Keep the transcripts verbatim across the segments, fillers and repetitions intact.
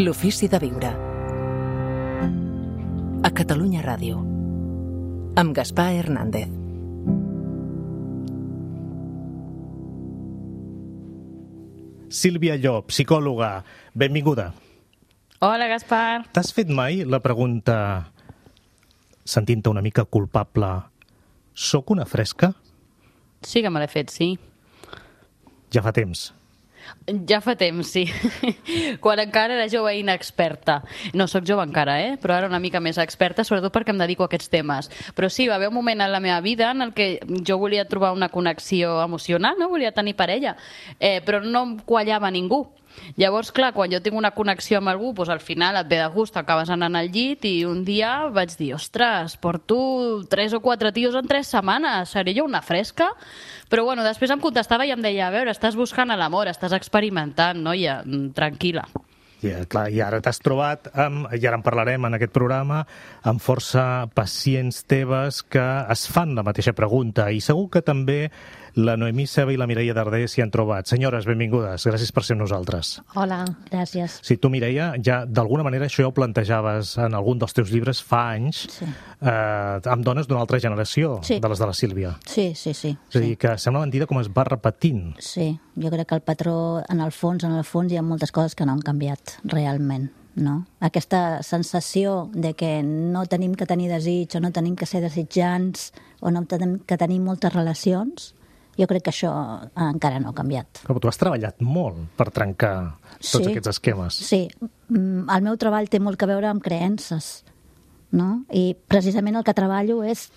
L'ofici de viure. A Catalunya Ràdio. Amb Gaspar Hernández. Sílvia Llop, psicòloga, benvinguda. Hola, Gaspar. T'has fet mai la pregunta, sentint-te una mica culpable, soc una fresca? Sí que me l'he fet, sí. Ja fa temps. Ja fa temps, sí. Quan encara era jove i inexperta. No sóc jove encara, eh? Però ara una mica més experta, sobretot perquè em dedico a aquests temes. Però sí, va haver un moment en la meva vida en el que jo volia trobar una connexió emocional, no? Volia tenir parella, eh, però no em quallava ningú. Llavors, clar, quan jo tinc una connexió amb algú, doncs al final et ve de gust, acabes anant al llit i un dia vaig dir, ostres, porto tres o quatre tios en tres setmanes, seré jo una fresca? Però bueno, després em contestava i em deia, a veure, estàs buscant l'amor, estàs experimentant, noia, tranquil·la. Ja, clar, i ara t'has trobat, amb, i ara en parlarem en aquest programa, amb força pacients teves que es fan la mateixa pregunta, i segur que també la Noemí Ceba i la Mireia Darder s'hi han trobat. Senyores, benvingudes. Gràcies per ser amb nosaltres. Hola, gràcies. Sí, tu, Mireia, ja d'alguna manera això ja ho plantejaves en algun dels teus llibres fa anys, sí. eh, amb dones d'una altra generació, sí. de les de la Sílvia. Sí, sí, sí. És a dir, sí. que sembla mentida com es va repetint. Sí, jo crec que el patró, en el fons, en el fons, hi ha moltes coses que no han canviat realment. No? Aquesta sensació de que no tenim que tenir desig o no tenim que ser desitjants o no tenim que tenir moltes relacions, jo crec que això encara no ha canviat. Però tu has treballat molt per trencar tots sí, aquests esquemes. Sí, el meu treball té molt a veure amb creences, no? I precisament el que treballo és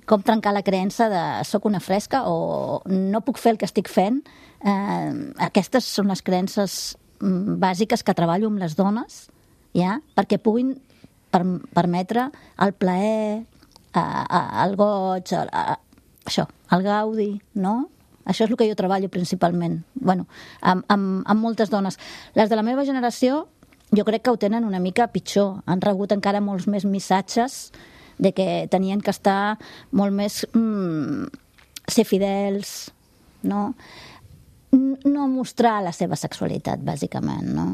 com trencar la creença de soc una fresca o no puc fer el que estic fent. Eh, aquestes són les creences bàsiques que treballo amb les dones, ja? Perquè puguin per, permetre el plaer, a, a, el goig, a, a, això, el gaudi, no? Això és el que jo treballo principalment, bueno, amb, amb, amb moltes dones. Les de la meva generació jo crec que ho tenen una mica pitjor, han rebut encara molts més missatges de que tenien que estar molt més mm, ser fidels, no? No mostrar la seva sexualitat, bàsicament, no?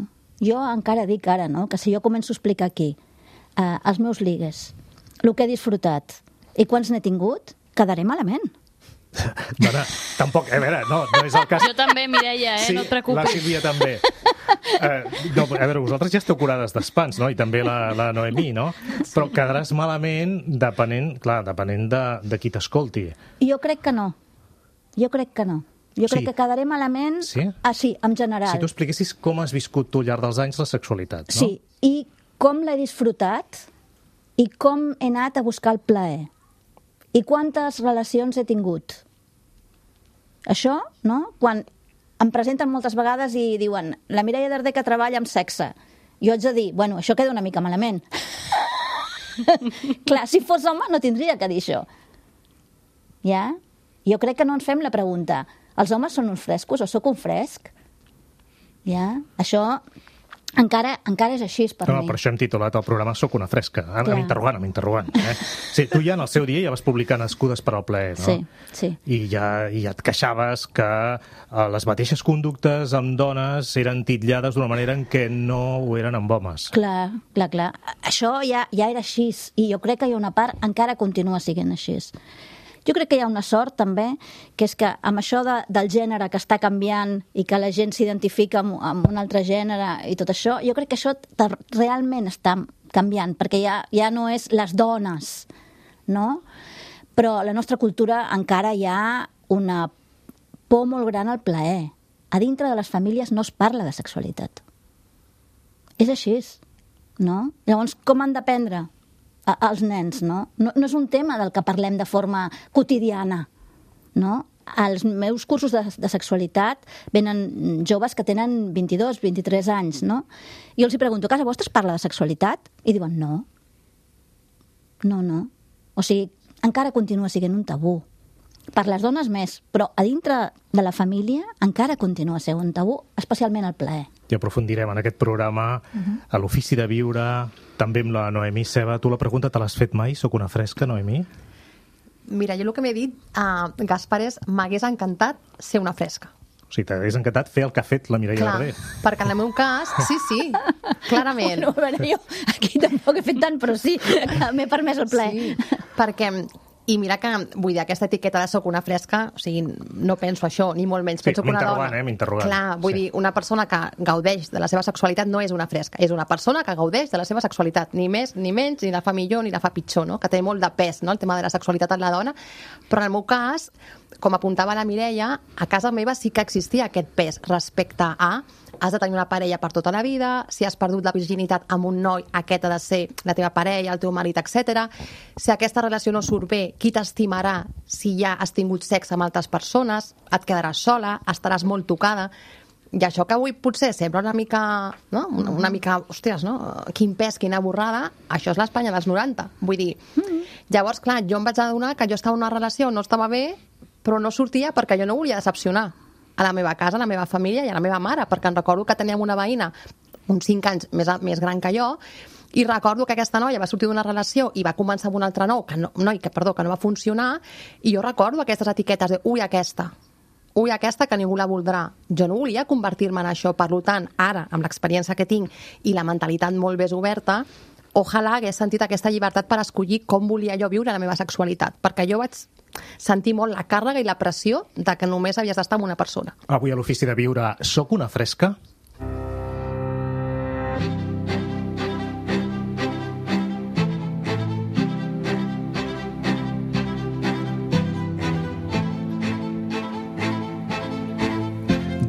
Jo encara dic ara, no?, que si jo començo a explicar aquí eh, els meus ligues, el que he disfrutat i quants n'he tingut, quedaré malament. Dona, tampoc, a veure, no, no és el cas. Jo també, Mireia, eh? Sí, no et preocupis. la Sílvia també. Eh, no, a veure, vosaltres ja esteu curades d'espants, no? I també la, la Noemí, no? Però quedaràs malament depenent, clar, depenent de, de qui t'escolti. Jo crec que no. Jo crec que no. Jo crec sí. que quedaré malament, sí? Ah, sí, en general. Si tu expliquessis com has viscut tu al llarg dels anys la sexualitat, no? Sí, i com l'he disfrutat i com he anat a buscar el plaer i quantes relacions he tingut. Això, no? Quan em presenten moltes vegades i diuen la Mireia Darder que treballa amb sexe, jo haig de dir, bueno, això queda una mica malament. Clar, si fos home no tindria que dir això. Ja? Jo crec que no ens fem la pregunta, els homes són uns frescos o sóc un fresc? Ja? Això encara, encara és així per no, mi. Per això hem titulat el programa Soc una fresca, amb interrogant, amb interrogant. Eh? Sí, tu ja en el seu dia ja vas publicar Nascudes per al plaer, no? Sí, sí. I ja, i ja et queixaves que eh, les mateixes conductes amb dones eren titllades d'una manera en què no ho eren amb homes. Clar, clar, clar. Això ja, ja era així i jo crec que hi ha una part encara continua sent així. Jo crec que hi ha una sort, també, que és que amb això de, del gènere que està canviant i que la gent s'identifica amb, amb un altre gènere i tot això, jo crec que això realment està canviant, perquè ja, ja no és les dones, no? Però a la nostra cultura encara hi ha una por molt gran al plaer. A dintre de les famílies no es parla de sexualitat. És així, no? Llavors, com han d'aprendre als nens, no? no? No és un tema del que parlem de forma quotidiana, no? Als meus cursos de, de sexualitat venen joves que tenen vint-i-dos, vint-i-tres anys, no? I jo els pregunto, a casa vostra es parla de sexualitat? I diuen, no. No, no. O sigui, encara continua sent un tabú. Per les dones més, però a dintre de la família encara continua sent un tabú, especialment el plaer. I aprofundirem en aquest programa, uh-huh. a l'ofici de viure, també amb la Noemí Ceba. Tu la pregunta te l'has fet mai? Soc una fresca, Noemí? Mira, jo el que m'he dit, uh, Gaspar, és m'hagués encantat ser una fresca. O sigui, t'hagués encantat fer el que ha fet la Mireia Clar, Darder. perquè en el meu cas, sí, sí, clarament. No, a veure, jo aquí tampoc he fet tant, però sí, m'he permès el ple. Sí, perquè, i mira que, vull dir, aquesta etiqueta de soc una fresca, o sigui, no penso això, ni molt menys. Sí, Penso que una m'interrogant, dona... eh, m'interrogant. Clar, vull Sí. dir, una persona que gaudeix de la seva sexualitat no és una fresca, és una persona que gaudeix de la seva sexualitat, ni més, ni menys, ni la fa millor, ni la fa pitjor, no? Que té molt de pes, no?, el tema de la sexualitat en la dona, però en el meu cas, com apuntava la Mireia, a casa meva sí que existia aquest pes respecte a has de tenir una parella per tota la vida, si has perdut la virginitat amb un noi, aquest ha de ser la teva parella, el teu marit, etcètera. Si aquesta relació no surt bé, qui t'estimarà si ja has tingut sexe amb altres persones? Et quedaràs sola, estaràs molt tocada. I això que avui potser sembla una mica, no? una, una mica, hòsties, no? Quin pes, quina borrada, això és l'Espanya dels noranta. Vull dir, llavors, clar, jo em vaig adonar que jo estava en una relació, no estava bé, però no sortia perquè jo no volia decepcionar a la meva casa, a la meva família i a la meva mare, perquè em recordo que teníem una veïna uns cinc anys més, més gran que jo, i recordo que aquesta noia va sortir d'una relació i va començar amb un altre nou, que no, noi, que, perdó, que no va funcionar, i jo recordo aquestes etiquetes de ui, aquesta, ui, aquesta que ningú la voldrà. Jo no volia convertir-me en això, per tant, ara, amb l'experiència que tinc i la mentalitat molt més oberta, ojalà hagués sentit aquesta llibertat per escollir com volia jo viure la meva sexualitat, perquè jo vaig sentir molt la càrrega i la pressió de que només havies d'estar amb una persona. Avui a l'Ofici de Viure, soc una fresca?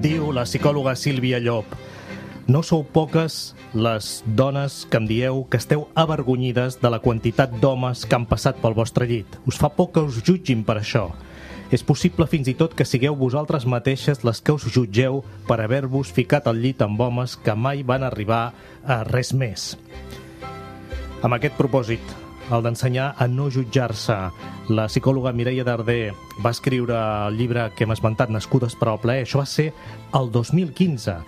Diu la psicòloga Sílvia Llop: no sou poques les dones que em dieu que esteu avergonyides de la quantitat d'homes que han passat pel vostre llit. Us fa por que us jutgin per això. És possible fins i tot que sigueu vosaltres mateixes les que us jutgeu per haver-vos ficat al llit amb homes que mai van arribar a res més. Amb aquest propòsit, el d'ensenyar a no jutjar-se, la psicòloga Mireia Darder va escriure el llibre que hem esmentat, Nascudes per al plaer. Això va ser el dos mil quinze.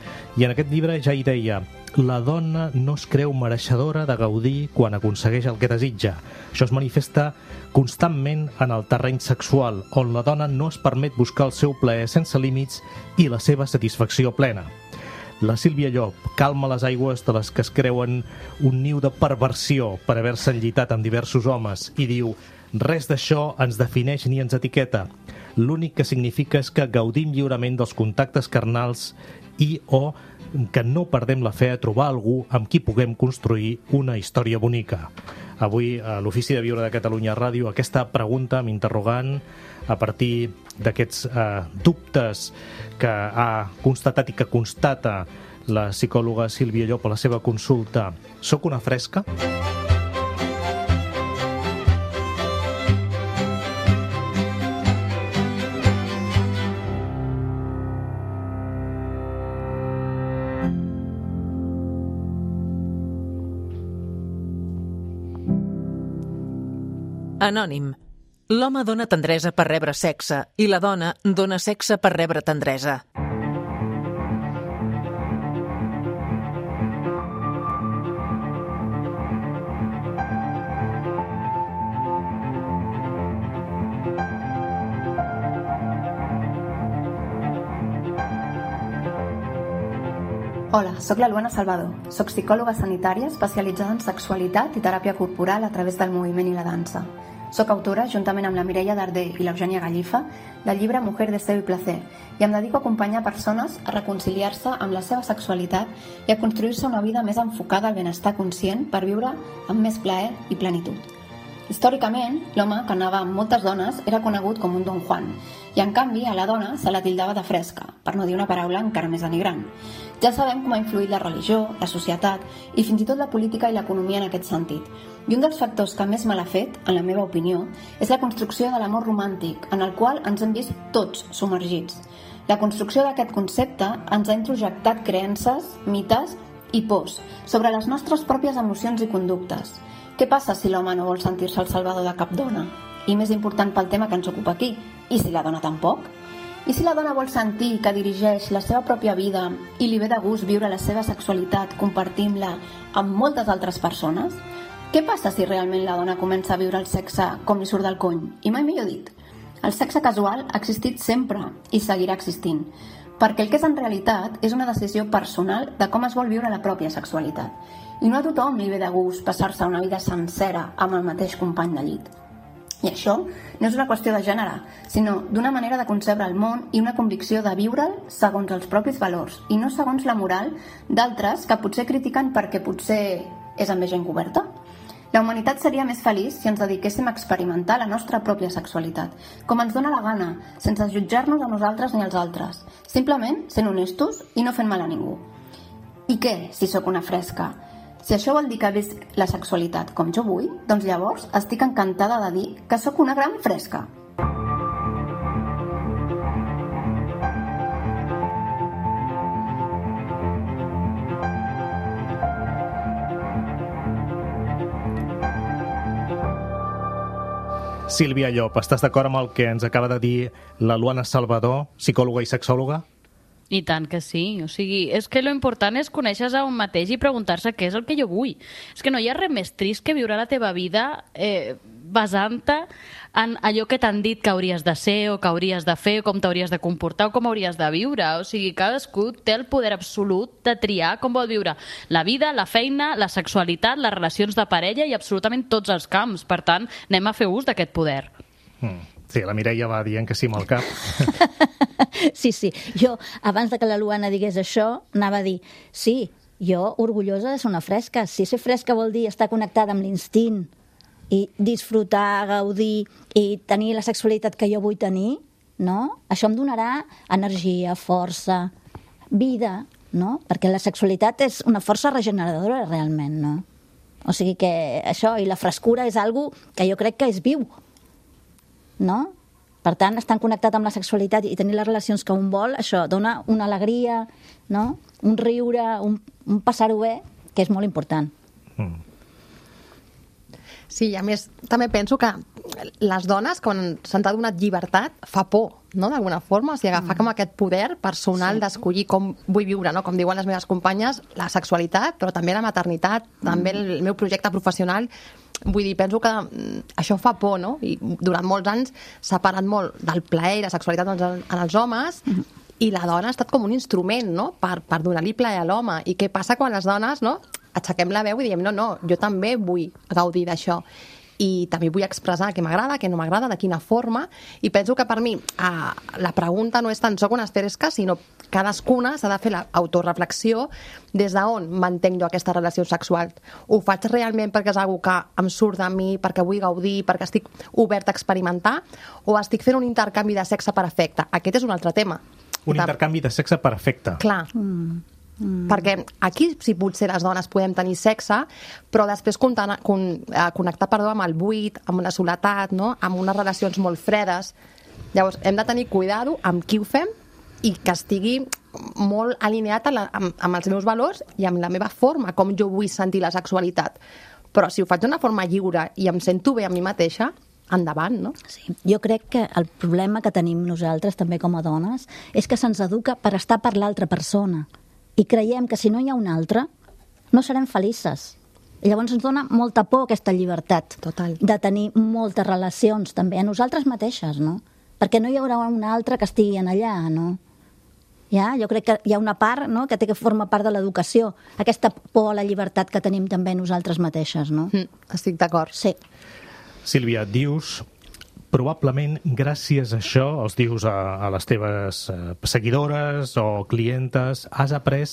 I en aquest llibre ja hi deia: la dona no es creu mereixedora de gaudir quan aconsegueix el que desitja. Això es manifesta constantment en el terreny sexual, on la dona no es permet buscar el seu plaer sense límits i la seva satisfacció plena. La Sílvia Llop calma les aigües de les que es creuen un niu de perversió per haver-se enllitat amb diversos homes i diu: res d'això ens defineix ni ens etiqueta. L'únic que significa és que gaudim lliurement dels contactes carnals i o que no perdem la fe a trobar algú amb qui puguem construir una història bonica. Avui, a l'Ofici de Viure de Catalunya Ràdio, aquesta pregunta m'interrogant a partir d'aquests eh, dubtes que ha constatat i que constata la psicòloga Sílvia Llop a la seva consulta. Soc una fresca? Anònim. L'home dona tendresa per rebre sexe i la dona dona sexe per rebre tendresa. Hola, sóc la Luana Salvador. Soc psicòloga sanitària especialitzada en sexualitat i teràpia corporal a través del moviment i la dansa. Soc autora, juntament amb la Mireia Darder i l'Eugènia Gallifa, del llibre Mujer, Deseo y Placer, i em dedico a acompanyar persones a reconciliar-se amb la seva sexualitat i a construir-se una vida més enfocada al benestar conscient per viure amb més plaer i plenitud. Històricament, l'home que anava amb moltes dones era conegut com un Don Juan, i en canvi a la dona se la tildava de fresca, per no dir una paraula encara més denigrant. Ja sabem com ha influït la religió, la societat i fins i tot la política i l'economia en aquest sentit. I un dels factors que més mal ha fet, en la meva opinió, és la construcció de l'amor romàntic, en el qual ens hem vist tots submergits. La construcció d'aquest concepte ens ha introjectat creences, mites i pors sobre les nostres pròpies emocions i conductes. Què passa si l'home no vol sentir-se el salvador de cap dona? I més important pel tema que ens ocupa aquí, i si la dona tampoc? I si la dona vol sentir que dirigeix la seva pròpia vida i li ve de gust viure la seva sexualitat compartint-la amb moltes altres persones? Què passa si realment la dona comença a viure el sexe com li surt del cony? I mai millor dit. El sexe casual ha existit sempre i seguirà existint. perquè el que és en realitat és una decisió personal de com es vol viure la pròpia sexualitat. I no a tothom li ve de gust passar-se una vida sencera amb el mateix company de llit. I això no és una qüestió de gènere, sinó d'una manera de concebre el món i una convicció de viure'l segons els propis valors i no segons la moral d'altres que potser critiquen perquè potser és amb més gent coberta. La humanitat seria més feliç si ens dediquéssim a experimentar la nostra pròpia sexualitat, com ens dóna la gana, sense jutjar-nos a nosaltres ni als altres, simplement sent honestos i no fent mal a ningú. I què, si sóc una fresca? Si això vol dir que visc la sexualitat com jo vull, doncs llavors estic encantada de dir que sóc una gran fresca. Sílvia Llop, estàs d'acord amb el que ens acaba de dir la Luana Salvador, psicòloga i sexòloga? I tant que sí, o sigui, és que lo important és conèixer-se a un mateix i preguntar-se què és el que jo vull. És que no hi ha res més trist que viure la teva vida eh, basant-te en allò que t'han dit que hauries de ser o que hauries de fer, o com t'hauries de comportar o com hauries de viure. O sigui, cadascú té el poder absolut de triar com vol viure la vida, la feina, la sexualitat, les relacions de parella i absolutament tots els camps. Per tant, anem a fer ús d'aquest poder. Mm. Sí, la Mireia va dient que sí amb el cap. Sí, sí. Jo, abans de que la Luana digués això, anava a dir, sí, jo orgullosa de ser una fresca. Si ser fresca vol dir estar connectada amb l'instint i disfrutar, gaudir i tenir la sexualitat que jo vull tenir, no? Això em donarà energia, força, vida, no? Perquè la sexualitat és una força regeneradora realment, no? O sigui que això i la frescura és algo que jo crec que és viu, no? Per tant, estar connectat amb la sexualitat i tenir les relacions que un vol, això dona una alegria, no? Un riure, un, un passar-ho bé, que és molt important. Mm. Sí, a més, també penso que les dones, quan se'ns ha donat llibertat, fa por, no?, d'alguna forma, o sigui, agafar mm. com aquest poder personal sí. d'escollir com vull viure, no?, com diuen les meves companyes, la sexualitat, però també la maternitat, mm. també el, el meu projecte professional. Vull dir, penso que això fa por, no? I durant molts anys s'ha parat molt del plaer i la sexualitat en els homes mm. i la dona ha estat com un instrument, no?, per, per donar-li plaer a l'home. I què passa quan les dones, no?, aixequem la veu i diem, no, no, jo també vull gaudir d'això. I també vull expressar què m'agrada, què no m'agrada, de quina forma, i penso que per mi eh, la pregunta no és tant soc una fresca, sinó cadascuna s'ha de fer l'autoreflexió des d'on mantenc jo aquesta relació sexual. Ho faig realment perquè és una cosa que em surt de mi, perquè vull gaudir, perquè estic obert a experimentar, o estic fent un intercanvi de sexe per afecte? Aquest és un altre tema. Un intercanvi de sexe per afecte. Clar. Mm. Mm. Perquè aquí sí potser les dones podem tenir sexe, però després connectar, connectar perdó, amb el buit, amb una soledat, no?, amb unes relacions molt fredes. Llavors hem de tenir cuidado amb qui ho fem i que estigui molt alineat a la, amb, amb els meus valors i amb la meva forma, com jo vull sentir la sexualitat. Però si ho faig d'una forma lliure i em sento bé a mi mateixa, endavant, no? Sí. Jo crec que el problema que tenim nosaltres també com a dones és que se'ns educa per estar per l'altra persona. I creiem que si no hi ha un altre, no serem felices. I llavors ens dona molta por aquesta llibertat. Total. De tenir moltes relacions també a nosaltres mateixes, no? Perquè no hi haurà un altre que estigui en allà, no? Ja? Jo crec que hi ha una part, no?, que té que formar part de l'educació. Aquesta por a la llibertat que tenim també nosaltres mateixes, no? Mm, estic d'acord. Sí. Sílvia, dius... Probablement, gràcies a això, els dius a, a les teves eh, seguidores o clientes, has après,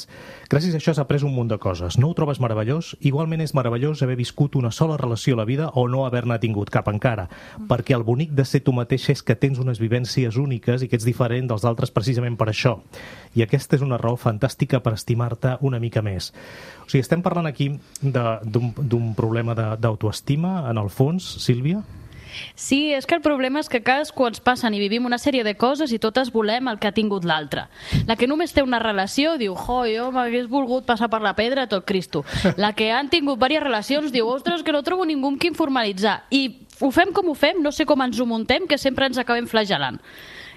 gràcies a això has après un munt de coses. No ho trobes meravellós? Igualment és meravellós haver viscut una sola relació a la vida o no haver-ne tingut cap encara, perquè el bonic de ser tu mateix és que tens unes vivències úniques i que ets diferent dels altres precisament per això. I aquesta és una raó fantàstica per estimar-te una mica més. O sigui, estem parlant aquí d'un problema d'autoestima, en el fons, Sílvia? Sí, és que el problema és que cadascú ens passen i vivim una sèrie de coses i totes volem el que ha tingut l'altre. La que només té una relació diu, jo, jo m'hagués volgut passar per la pedra tot Cristo. La que han tingut diverses relacions diu, ostres, que no trobo ningú amb qui formalitzar. I ho fem com ho fem, no sé com ens ho muntem, que sempre ens acabem flagelant.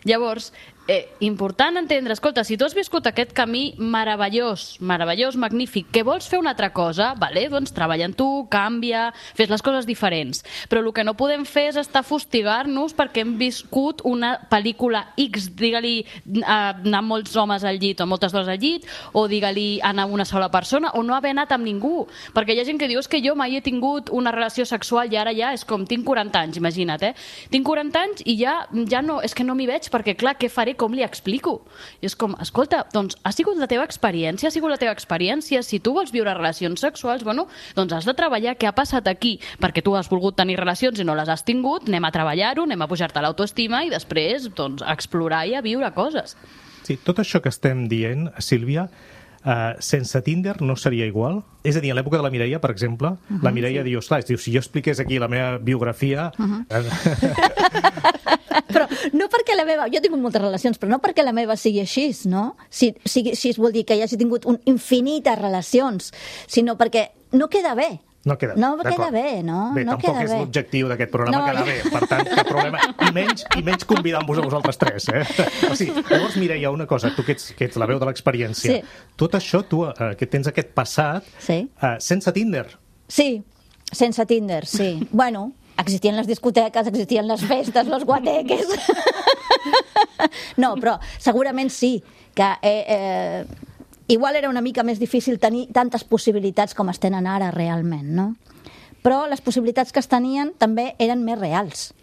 Llavors, Eh, important entendre, escolta, si tu has viscut aquest camí meravellós, meravellós, magnífic, que vols fer una altra cosa, vale, doncs treballa en tu, canvia, fes les coses diferents. Però el que no podem fer és estar a fustigar-nos perquè hem viscut una pel·lícula X, digue-li eh, anar molts homes al llit o moltes dones al llit, o digue-li anar amb una sola persona, o no haver anat amb ningú. Perquè hi ha gent que diu, és que jo mai he tingut una relació sexual i ara ja és com, tinc quaranta anys, imagina't, eh? Tinc quaranta anys i ja, ja no, és que no m'hi veig perquè, clar, què faré, com li explico? I és com, escolta, doncs ha sigut la teva experiència, ha sigut la teva experiència, si tu vols viure relacions sexuals, bueno, doncs has de treballar què ha passat aquí, perquè tu has volgut tenir relacions i no les has tingut, anem a treballar-ho, anem a pujar-te l'autoestima i després, doncs, a explorar i a viure coses. Sí, tot això que estem dient, Sílvia, Uh, sense Tinder no seria igual? És a dir, en l'època de la Mireia, per exemple, uh -huh, la Mireia sí. diu, esclar, diu, si jo expliqués aquí la meva biografia... Uh -huh. Però no perquè la meva... Jo he tingut moltes relacions, però no perquè la meva sigui així, no? Si, si, si vol dir que hi hagi tingut un infinites relacions, sinó perquè no queda bé. No queda, no queda bé, no? Bé, no tampoc queda és bé. l'objectiu d'aquest programa no, quedar bé, per tant, cap problema. I menys, i menys convidant-vos a vosaltres tres, eh? O sigui, llavors, Mireia, una cosa, tu que ets, que ets la veu de l'experiència, sí. tot això, tu, eh, que tens aquest passat, sí. eh, sense Tinder. Sí, sense Tinder, sí. Bueno, existien les discoteques, existien les festes, los guateques... No, però segurament sí, que... Eh, eh, igual era una mica més difícil tenir tantes possibilitats com es tenen ara realment, no? Però les possibilitats que es tenien també eren més reals.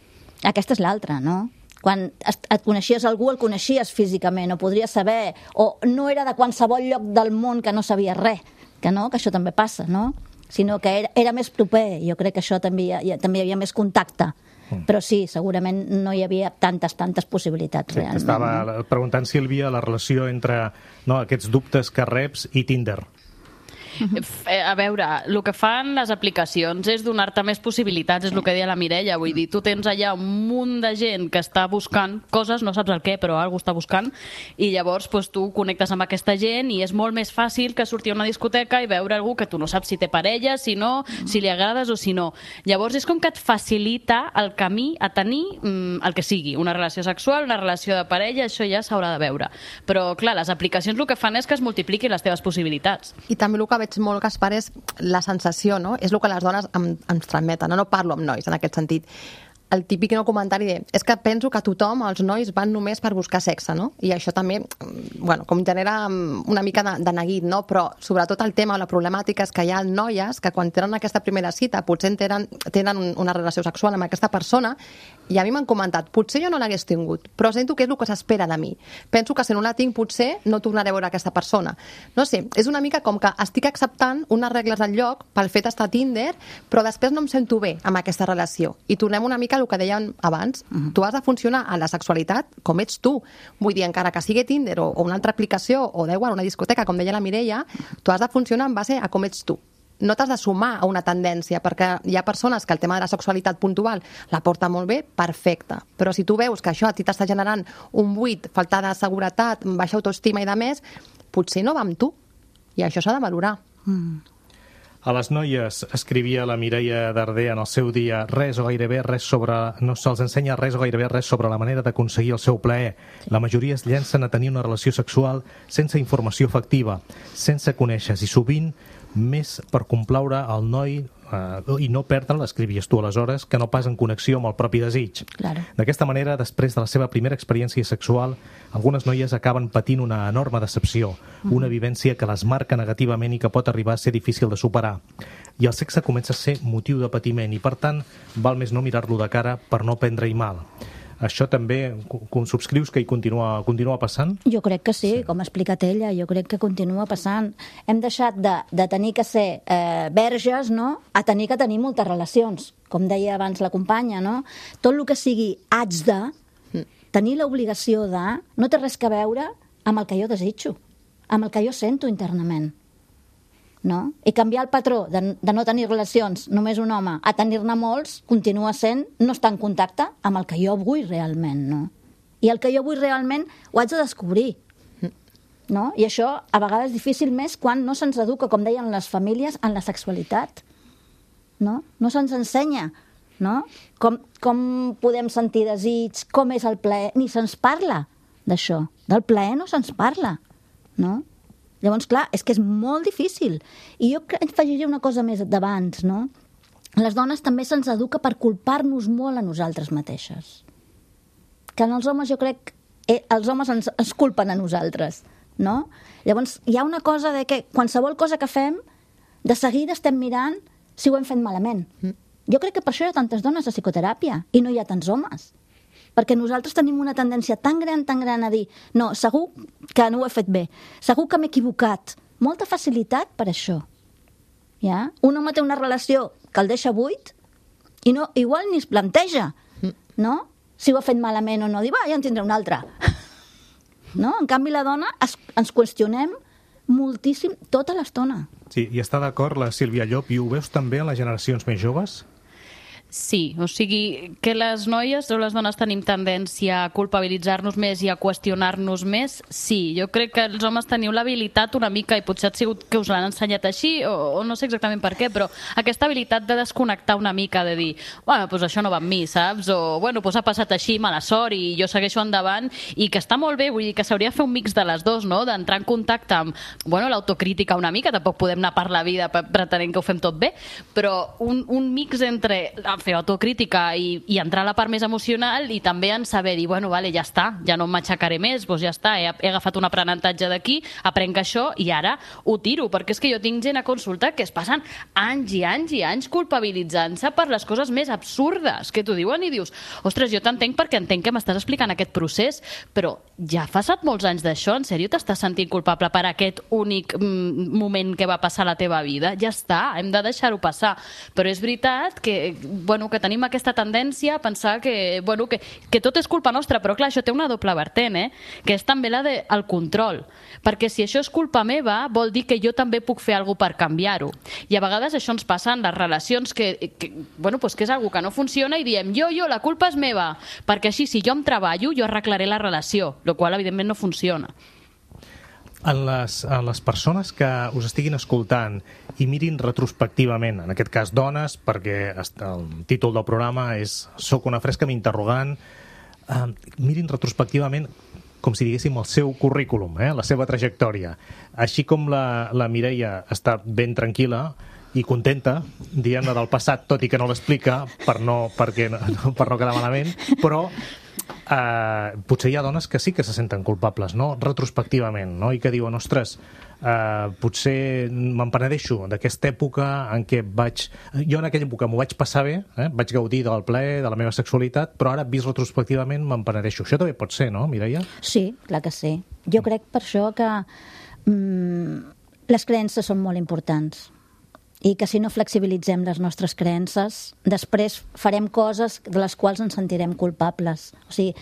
Aquesta és l'altra, no? Quan et coneixies algú, el coneixies físicament, o podries saber, o no era de qualsevol lloc del món que no sabies res, que no, que això també passa, no? Sinó que era, era més proper, jo crec que això també hi, ha, també hi havia més contacte. Però sí, segurament no hi havia tantes, tantes possibilitats. Sí, realment. Estava preguntant, Sílvia, la relació entre no, aquests dubtes que reps i Tinder. A veure, el que fan les aplicacions és donar-te més possibilitats, és el que deia la Mireia, vull dir, tu tens allà un munt de gent que està buscant coses, no saps el què, però algú està buscant, i llavors doncs, tu connectes amb aquesta gent i és molt més fàcil que sortir a una discoteca i veure algú que tu no saps si té parella, si no, si li agrades o si no. Llavors és com que et facilita el camí a tenir mm, el que sigui, una relació sexual, una relació de parella, això ja s'haurà de veure. Però, clar, les aplicacions el que fan és que es multipliquin les teves possibilitats. I també el que veig molt, Gaspar, és la sensació, no? És el que les dones em, ens transmeten, no? No parlo amb nois en aquest sentit. El típic no comentari de, és que penso que tothom, els nois, van només per buscar sexe, no? I això també, bueno, com genera una mica de, de neguit, no? Però sobretot el tema o la problemàtica és que hi ha noies que quan tenen aquesta primera cita potser tenen, tenen una relació sexual amb aquesta persona i a mi m'han comentat, potser jo no l'hagués tingut, però sento que és el que s'espera de mi. Penso que si no la tinc potser no tornaré a veure aquesta persona. No sé, és una mica com que estic acceptant unes regles del lloc pel fet d'estar a Tinder, però després no em sento bé amb aquesta relació. I tornem una mica el que dèiem abans, uh-huh. tu has de funcionar a la sexualitat com ets tu. Vull dir, encara que sigui Tinder o, o una altra aplicació o d'igual una discoteca, com deia la Mireia, tu has de funcionar en base a com ets tu. No t'has de sumar a una tendència, perquè hi ha persones que el tema de la sexualitat puntual la porta molt bé, perfecte. Però si tu veus que això a ti t'està generant un buit, falta de seguretat, baixa autoestima i de més, potser no va amb tu. I això s'ha de valorar. Mm. A les noies, escrivia la Mireia Darder en el seu dia, res o gairebé res sobre... no se'ls ensenya res o gairebé res sobre la manera d'aconseguir el seu plaer. La majoria es llencen a tenir una relació sexual sense informació efectiva, sense conèixer, i sovint més per complaure el noi eh, i no perdre, l'escrivies tu aleshores, que no pas en connexió amb el propi desig. Claro. D'aquesta manera, després de la seva primera experiència sexual, algunes noies acaben patint una enorme decepció, mm. una vivència que les marca negativament i que pot arribar a ser difícil de superar. I el sexe comença a ser motiu de patiment i, per tant, val més no mirar-lo de cara per no prendre-hi mal. Això també subscrius que hi continua, continua passant? Jo crec que sí, sí, com ha explicat ella, jo crec que continua passant. Hem deixat de, de tenir que ser eh, verges, no?, a tenir que tenir moltes relacions, com deia abans la companya, no? Tot el que sigui haig de, tenir l'obligació de, no té res que veure amb el que jo desitjo, amb el que jo sento internament. No? I canviar el patró de, de no tenir relacions només un home a tenir-ne molts continua sent no estar en contacte amb el que jo vull realment, no? I el que jo vull realment ho haig de descobrir, no? I això a vegades és difícil més quan no se'ns educa, com deien les famílies, en la sexualitat, no? No se'ns ensenya, no? Com, com podem sentir desig, com és el plaer, ni se'ns parla d'això. Del plaer no se'ns parla, no? Llavors, clar, és que és molt difícil. I jo afegiria una cosa més d'abans, no? Les dones també se'ns educa per culpar-nos molt a nosaltres mateixes. Que en els homes jo crec que els homes ens, ens culpen a nosaltres, no? Llavors, hi ha una cosa de que qualsevol cosa que fem, de seguida estem mirant si ho hem fet malament. Mm. Jo crec que per això hi ha tantes dones a psicoteràpia i no hi ha tants homes. Perquè nosaltres tenim una tendència tan gran, tan gran a dir no, segur que no ho he fet bé, segur que m'he equivocat. Molta facilitat per això. Ja? Un home té una relació que el deixa buit i no, igual ni es planteja, no? Si ho ha fet malament o no. Dir, va, ja en tindré una altra. No? En canvi, la dona es, ens qüestionem moltíssim tota l'estona. Sí, i està d'acord la Sílvia Llop, i ho veus també en les generacions més joves? Sí, o sigui, que les noies o les dones tenim tendència a culpabilitzar-nos més i a qüestionar-nos més, sí. Jo crec que els homes teniu l'habilitat una mica, i potser ha sigut que us l'han ensenyat així, o, o no sé exactament per què, però aquesta habilitat de desconnectar una mica, de dir, bueno, doncs això no va amb mi, saps? O, bueno, doncs ha passat així, mala sort, i jo segueixo endavant, i que està molt bé, vull dir que s'hauria de fer un mix de les dues, no? D'entrar en contacte amb, bueno, l'autocrítica una mica, tampoc podem anar per la vida pretenent que ho fem tot bé, però un, un mix entre fer autocrítica i, i entrar a la part més emocional, i també en saber dir, bueno, vale, ja està, ja no m'aixecaré més, doncs ja està, he, he agafat un aprenentatge d'aquí, aprenc això i ara ho tiro, perquè és que jo tinc gent a consulta que es passen anys i anys i anys culpabilitzant-se per les coses més absurdes que t'ho diuen i dius, ostres, jo t'entenc perquè entenc que m'estàs explicant aquest procés, però ja ha passat molts anys d'això, en sèrio t'estàs sentint culpable per aquest únic mm, moment que va passar a la teva vida? Ja està, hem de deixar-ho passar. Però és veritat que, bueno, que tenim aquesta tendència a pensar que, bueno, que, que tot és culpa nostra, però clar, això té una doble vertent, eh? Que és també la del de, control, perquè si això és culpa meva, vol dir que jo també puc fer alguna cosa per canviar-ho. I a vegades això ens passa en les relacions, que, que, bueno, pues que és alguna que no funciona i diem, jo, jo, la culpa és meva, perquè així, si jo em treballo, jo arreglaré la relació, el qual evidentment no funciona. En les, en les persones que us estiguin escoltant i mirin retrospectivament, en aquest cas dones, perquè el títol del programa és Soc una fresca m'interrogant, eh, mirin retrospectivament com si diguéssim el seu currículum, eh, la seva trajectòria. Així com la, la Mireia està ben tranquil·la i contenta, dient-ne del passat, tot i que no l'explica per no, perquè, per no quedar malament, però Uh, potser hi ha dones que sí que se senten culpables, no? Retrospectivament, no? I que diuen, ostres, uh, potser me'n penedeixo d'aquesta època en què vaig... Jo en aquella època m'ho vaig passar bé, eh? Vaig gaudir del plaer, de la meva sexualitat, però ara, vist retrospectivament, me'n penedeixo. Això també pot ser, no, Mireia? Sí, clar que sí. Jo crec per això que mm, les creences són molt importants, i que si no flexibilitzem les nostres creences, després farem coses de les quals ens sentirem culpables. O sigui,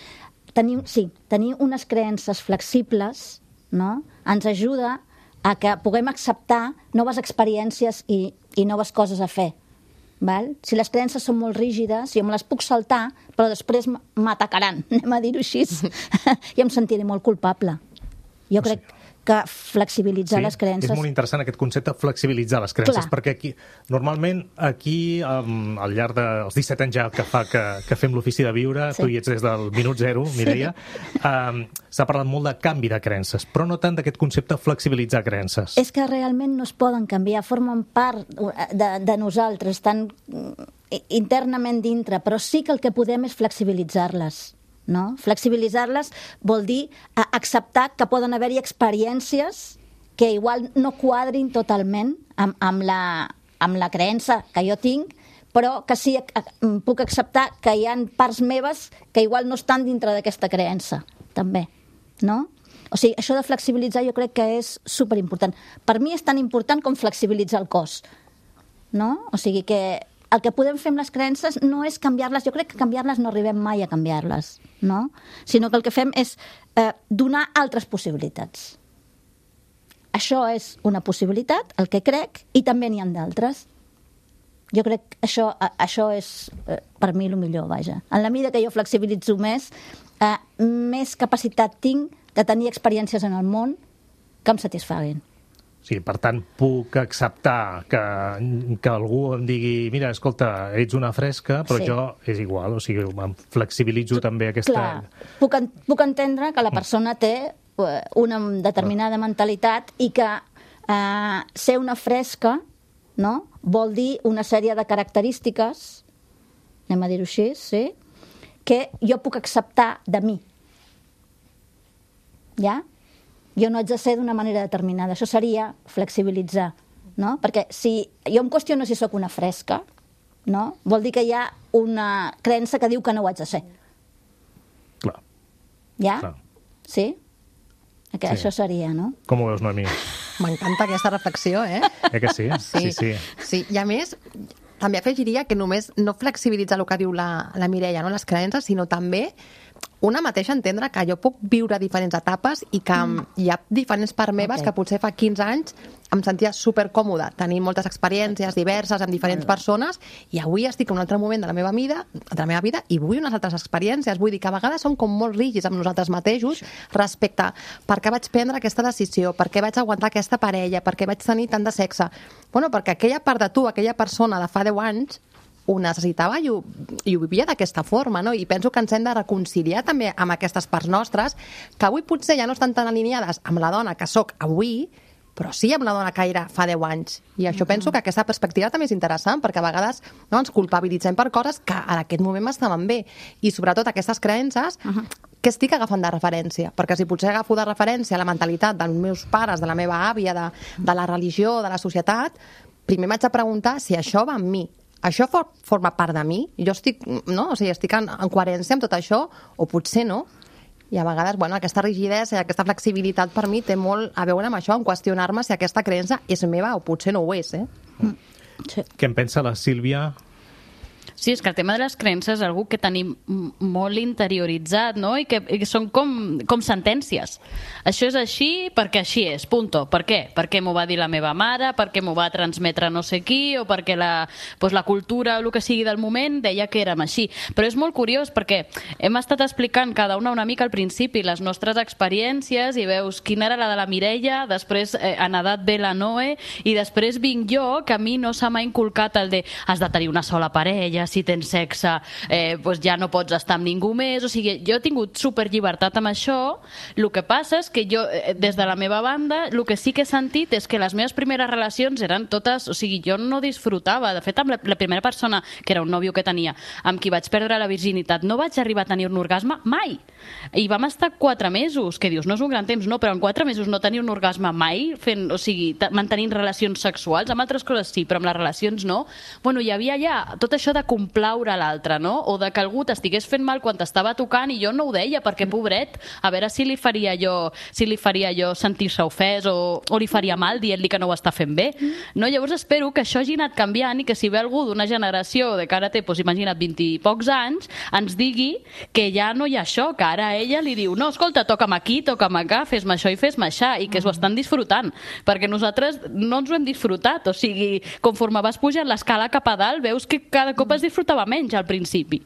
tenir, sí, tenir unes creences flexibles, no?, ens ajuda a que puguem acceptar noves experiències i, i noves coses a fer. Val? Si les creences són molt rígides, jo me les puc saltar, però després m'atacaran, anem a dir-ho així, i em sentiré molt culpable. Jo crec que flexibilitzar sí, les creences... És molt interessant aquest concepte, flexibilitzar les creences, Clar. Perquè aquí, normalment aquí, um, al llarg dels disset anys ja que fa que, que fem l'ofici de viure, sí. Tu hi ets des del minut zero, Mireia, sí. um, s'ha parlat molt de canvi de creences, però no tant d'aquest concepte flexibilitzar creences. És que realment no es poden canviar, formen part de, de nosaltres, estan internament dintre, però sí que el que podem és flexibilitzar-les. No? Flexibilitzar-les vol dir acceptar que poden haver-hi experiències que igual no quadrin totalment amb, amb, la, amb la creença que jo tinc, però que sí puc acceptar que hi ha parts meves que igual no estan dintre d'aquesta creença, també. No? O sigui, això de flexibilitzar jo crec que és superimportant. Per mi és tan important com flexibilitzar el cos. No? O sigui que el que podem fer amb les creences no és canviar-les, jo crec que canviar-les no arribem mai a canviar-les, no? Sinó que el que fem és eh, donar altres possibilitats. Això és una possibilitat, el que crec, i també n'hi ha d'altres. Jo crec que això, això és eh, per mi el millor, vaja. En la mida que jo flexibilitzo més, eh, més capacitat tinc de tenir experiències en el món que em satisfaguin. Sí, per tant, puc acceptar que, que algú em digui mira, escolta, ets una fresca, però Sí. jo és igual, o sigui, em flexibilitzo també aquesta... Clar, puc, en, puc entendre que la persona té eh, una determinada mentalitat i que eh, ser una fresca, no?, vol dir una sèrie de característiques, anem a dir-ho així, sí?, que jo puc acceptar de mi. Ja? Jo no haig de ser d'una manera determinada. Això seria flexibilitzar, no? Perquè si jo em qüestiono si sóc una fresca, no? Vol dir que hi ha una creença que diu que no ho haig de ser. Clar, Ja? clar. Sí? Que Sí. això seria, no? Com ho veus, Noemí? M'encanta aquesta reflexió, eh? Eh que sí? Sí, sí. sí. I a més, també afegiria que només no flexibilitza el que diu la, la Mireia, no? Les creences, sinó també una mateixa entendre que jo puc viure diferents etapes i que mm. hi ha diferents parts meves Ok. que potser fa quinze anys em sentia supercòmoda, tenint moltes experiències diverses amb diferents persones, i avui estic en un altre moment de la meva vida, de la meva vida i vull unes altres experiències. Vull dir que a vegades som com molt rígids amb nosaltres mateixos respecte a per què vaig prendre aquesta decisió, per què vaig aguantar aquesta parella, per què vaig tenir tant de sexe. Bueno, perquè aquella part de tu, aquella persona de fa deu anys, ho necessitava i ho, i ho vivia d'aquesta forma, no? I penso que ens hem de reconciliar també amb aquestes parts nostres, que avui potser ja no estan tan alineades amb la dona que sóc avui, però sí amb la dona que era fa deu anys. I això uh -huh. penso que aquesta perspectiva també és interessant, perquè a vegades no, ens culpabilitzem per coses que en aquest moment m'estaven bé. I sobretot aquestes creences, uh -huh. que estic agafant de referència? Perquè si potser agafo de referència la mentalitat dels meus pares, de la meva àvia, de, de la religió, de la societat, primer m'haig de preguntar si això va amb mi. Això for, forma part de mi? Jo estic, no? O sigui, estic en, en coherència amb tot això? O potser no? I a vegades, bueno, aquesta rigidesa i aquesta flexibilitat per mi té molt a veure amb això, en qüestionar-me si aquesta creença és meva o potser no ho és, eh? Sí. Què en pensa la Sílvia? Sí, és que el tema de les creences és algo que tenim molt interioritzat, no? I que, i que són com, com sentències. Això és així perquè així és, punto. Per què? Perquè m'ho va dir la meva mare, perquè m'ho va transmetre no sé qui, o perquè la, doncs la cultura o el que sigui del moment deia que érem així. Però és molt curiós perquè hem estat explicant cada una una mica al principi les nostres experiències i veus quina era la de la Mireia, després eh, en edat ve la Noe, i després vinc jo, que a mi no se m'ha inculcat el de has de tenir una sola parella, si tens sexe eh, doncs ja no pots estar amb ningú més. O sigui, jo he tingut superllibertat amb això. El que passa és que jo, eh, des de la meva banda, el que sí que he sentit és que les meves primeres relacions eren totes... O sigui, jo no disfrutava. De fet, amb la, la primera persona, que era un nòvio que tenia, amb qui vaig perdre la virginitat, no vaig arribar a tenir un orgasme mai. I vam estar quatre mesos, que dius, no és un gran temps, no, però en quatre mesos no tenir un orgasme mai, fent, o sigui, mantenint relacions sexuals, amb altres coses sí, però amb les relacions no. Bueno, hi havia ja tot això de complaure l'altre, no? O de que algú t'estigués fent mal quan t'estava tocant i jo no ho deia, perquè pobret, a veure si li faria jo si li faria jo sentir-se ofès o, o li faria mal dient-li que no ho està fent bé. No? Llavors espero que això hagi anat canviant i que si ve algú d'una generació de que ara té, doncs imagina't, vint i pocs anys, ens digui que ja no hi ha això, que ara ella li diu, no, escolta, toca'm aquí, toca'm acá, fes-me això i fes-me això, i que s'ho estan disfrutant, perquè nosaltres no ens ho hem disfrutat. O sigui, conforme vas pujant l'escala cap a dalt, veus que cada cop es disfrutava menys al principi.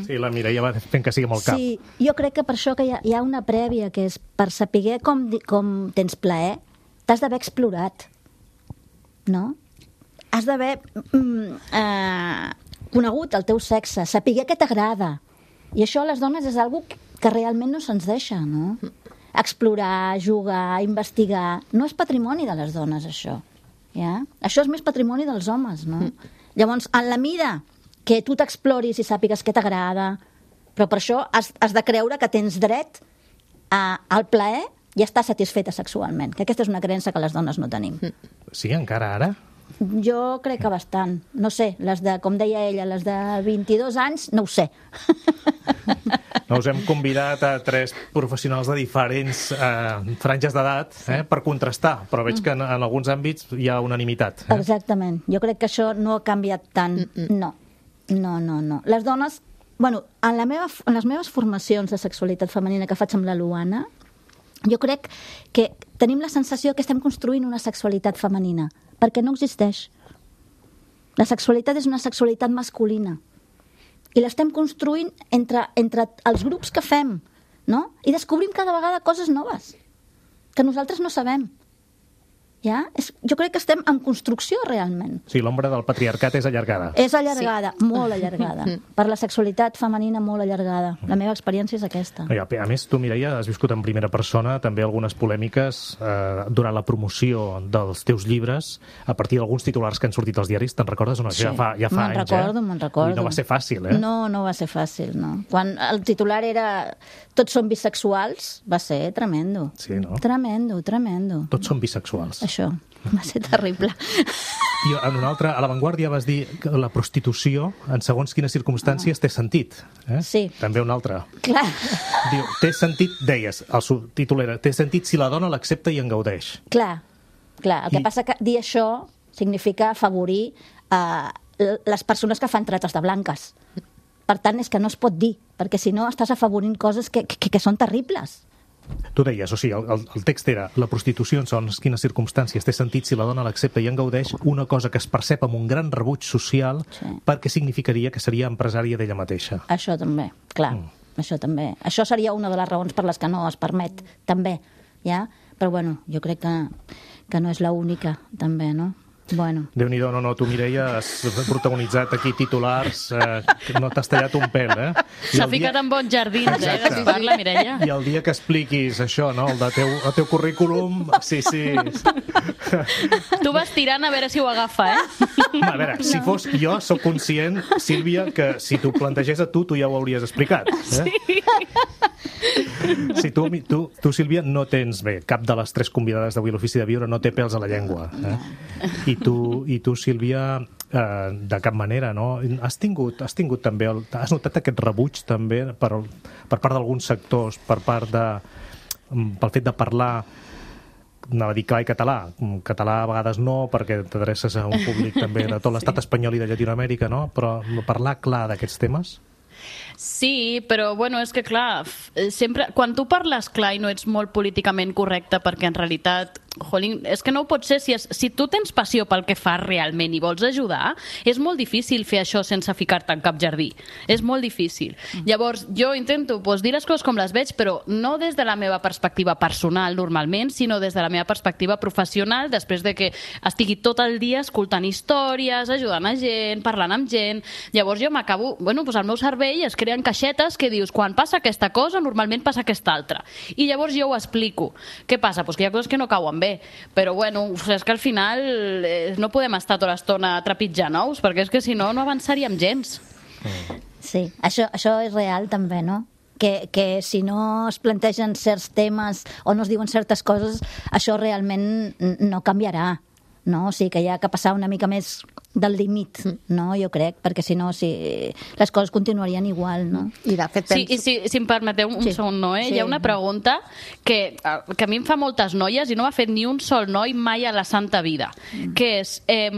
Sí, la Mireia va fent que sigui molt cap. Sí, jo crec que per això que hi ha, hi ha una prèvia, que és per saber com, di- com tens plaer, t'has d'haver explorat, no? Has d'haver mm, eh, conegut el teu sexe, saber què t'agrada. I això a les dones és algo que realment no se'ns deixa, no? Explorar, jugar, investigar... No és patrimoni de les dones, això. Ja? Això és més patrimoni dels homes, no? Llavors, en la mida que tu t'exploris i sàpigues què t'agrada, però per això has, has de creure que tens dret a, al plaer i estar satisfeta sexualment, que aquesta és una creença que les dones no tenim. Sí, encara ara? Jo crec que bastant. No sé, les de, com deia ella, les de vint-i-dos anys, no ho sé. No, us hem convidat a tres professionals de diferents eh, franges d'edat eh, per contrastar, però veig que en, en alguns àmbits hi ha unanimitat. Eh? Exactament. Jo crec que això no ha canviat tant. No, no, no, no. Les dones... Bueno, en, la meva, en les meves formacions de sexualitat femenina que faig amb la Luana, jo crec que tenim la sensació que estem construint una sexualitat femenina, perquè no existeix. La sexualitat és una sexualitat masculina. I l'estem construint entre, entre els grups que fem, no? I descobrim cada vegada coses noves que nosaltres no sabem. Ja? És, jo crec que estem en construcció realment. Sí, l'ombra del patriarcat és allargada. És allargada, sí. Molt allargada. Per la sexualitat femenina molt allargada. La meva experiència és aquesta. No, a més, tu, Mireia, has viscut en primera persona també algunes polèmiques eh, durant la promoció dels teus llibres a partir d'alguns titulars que han sortit als diaris. Te'n recordes? No? Sí. Ja fa, ja fa me'n anys, recordo, eh? me'n recordo. I no va ser fàcil, eh? No, no va ser fàcil, no. Quan el titular era tots són bisexuals, va ser tremendo. Sí, no? Tremendo, tremendo. Tots són bisexuals. Això. Va ser terrible. I en una altra, a La Vanguardia vas dir que la prostitució, en segons quines circumstàncies, té sentit. Eh? Sí. També una altra. Clar. Diu, té sentit, deies, el subtítol era, té sentit si la dona l'accepta i en gaudeix. Clar, clar. El que I... passa que dir això significa afavorir eh, les persones que fan trates de blanques. Per tant, és que no es pot dir, perquè si no estàs afavorint coses que, que, que són terribles. Tu deies, o sigui, el, el text era la prostitució en segons quines circumstàncies té sentit si la dona l'accepta i en gaudeix, una cosa que es percep amb un gran rebuig social Sí. perquè significaria que seria empresària d'ella mateixa. Això també, clar, mm. això també. Això seria una de les raons per les que no es permet, també, ja? Però, bueno, jo crec que, que no és l'única, també, no? Bueno. Déu-n'hi-do, no, no, tu, Mireia, has protagonitzat aquí titulars, eh, que no t'has tallat un pèl, eh? I S'ha el ficat dia... en bons jardins, eh, Exacte. que parla, Mireia. I el dia que expliquis això, no?, el, de teu, el teu currículum, sí, sí. Tu vas tirant a veure si ho agafa, eh? Home, a veure, si fos jo, sóc conscient, Sílvia, que si t'ho plantegés a tu, tu ja ho hauries explicat. Eh? Sí. Si tu, tu, tu, Sílvia, no tens, bé, cap de les tres convidades d'avui a l'Ofici de Viure no té pèls a la llengua. Eh? I tu, i tu Sílvia, eh, de cap manera, no? Has tingut, has tingut també, el, has notat aquest rebuig també per, per part d'alguns sectors, per part de, pel fet de parlar, anava a dir clar i català. Català a vegades no, perquè t'adreces a un públic també de tot l'estat espanyol i de Llatinoamèrica, no? Però parlar clar d'aquests temes... Sí, però bueno, és que clar, sempre, quan tu parles clar i no ets molt políticament correcte, perquè en realitat, jolín, és que no ho pot ser, si, es, si tu tens passió pel que fas realment i vols ajudar, és molt difícil fer això sense ficar-te en cap jardí, és molt difícil. Llavors, jo intento pues, dir les coses com les veig, però no des de la meva perspectiva personal normalment, sinó des de la meva perspectiva professional, després de que estigui tot el dia escoltant històries, ajudant a gent, parlant amb gent. Llavors jo m'acabo, bueno, pues al meu cervell es creen caixetes que dius, quan passa aquesta cosa, normalment passa aquesta altra. I llavors jo ho explico. Què passa? Pues que hi ha coses que no cauen bé. Però bueno, és que al final eh, no podem estar tota l'estona trepitjant ous, perquè és que si no, no avançaríem gens. Sí, això, això és real també, no? Que, que si no es plantegen certs temes o no es diuen certes coses, això realment no canviarà, no? O sigui que hi ha que passar una mica més del límit, no? Jo crec, perquè si no, si les coses continuarien igual, no? I de fet Sí, penso... i si, si em permeteu un Sí. segon, no, eh? Sí. Hi ha una pregunta que, que a mi em fa moltes noies i no m'ha fet ni un sol noi mai a la santa vida, que és... Eh,